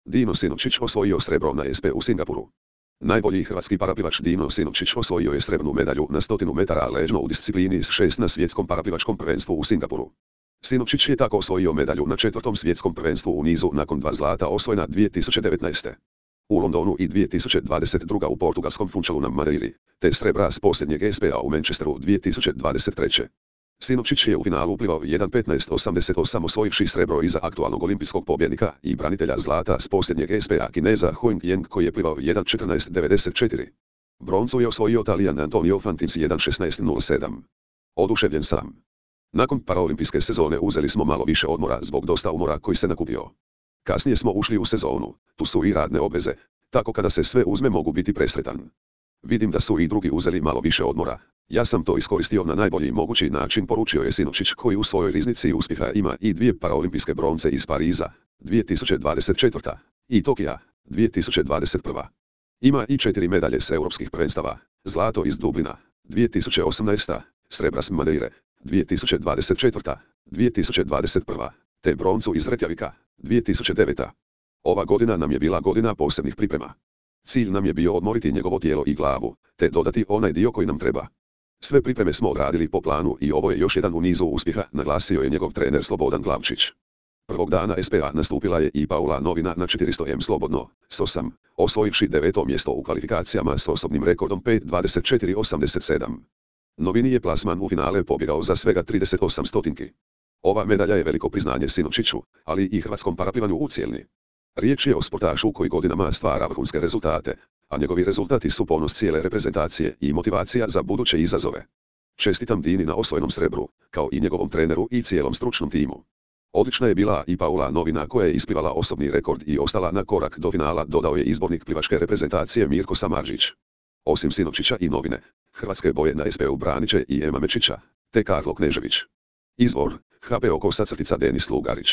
Dino Sinovčić osvojio srebro na SP u Singapuru. Najbolji hrvatski paraplivač Dino Sinovčić osvojio je srebrnu medalju na 100 metara ležno u disciplini iz 6 na svjetskom paraplivačkom prvenstvu u Singapuru. Sinovčić je tako osvojio medalju na 4. svjetskom prvenstvu u nizu nakon 2 zlata osvojena 2019. u Londonu i 2022. u portugalskom Funchalu na Madeiri, te srebra s posljednjeg SP-a u Manchesteru 2023. Sinovčić je u finalu uplivao 1.15.88 osvojivši srebro iza aktualnog olimpijskog pobjednika i branitelja zlata s posljednjeg SP-a Kineza Huang Yang koji je plivao 1.14.94. Broncu je osvojio Talijan Antonio Fantis 1.16.07. Oduševljen sam. Nakon paraolimpijske sezone uzeli smo malo više odmora zbog dosta umora koji se nakupio. Kasnije smo ušli u sezonu, tu su i radne obveze, tako kada se sve uzme mogu biti presretan. Vidim da su i drugi uzeli malo više odmora. Ja sam to iskoristio na najbolji mogući način, poručio je Sinovčić koji u svojoj riznici uspjeha ima i 2 paraolimpijske bronce iz Pariza, 2024. i Tokija, 2021. Ima i 4 medalje s europskih prvenstava, zlato iz Dublina, 2018. srebra s Madeire, 2024. 2021. te broncu iz Reykjavika, 2009. Ova godina nam je bila godina posebnih priprema. Cilj nam je bio odmoriti njegovo tijelo i glavu, te dodati onaj dio koji nam treba. Sve pripreme smo odradili po planu i ovo je još jedan u nizu uspjeha, naglasio je njegov trener Slobodan Glavčić. Prvog dana SPA nastupila je i Paula Novina na 400m slobodno, s 8, osvojivši 9. mjesto u kvalifikacijama s osobnim rekordom 5.24.87. Novini je plasman u finale pobjegao za svega 38 stotinki. Ova medalja je veliko priznanje Sinovčiću, ali i hrvatskom paraplivanju u cjelini. Riječ je o sportašu koji godinama stvara vrhunske rezultate, a njegovi rezultati su ponos cijele reprezentacije i motivacija za buduće izazove. Čestitam Dini na osvojenom srebru, kao i njegovom treneru i cijelom stručnom timu. Odlična je bila i Paula Novina koja je isplivala osobni rekord i ostala na korak do finala, dodao je izbornik plivačke reprezentacije Mirko Samardžić. Osim Sinovčića i Novine, hrvatske boje na SP-u branit će i Ema Mečića, te Karlo Knežević. Izvor: HP Oko _ Denis Lugarić.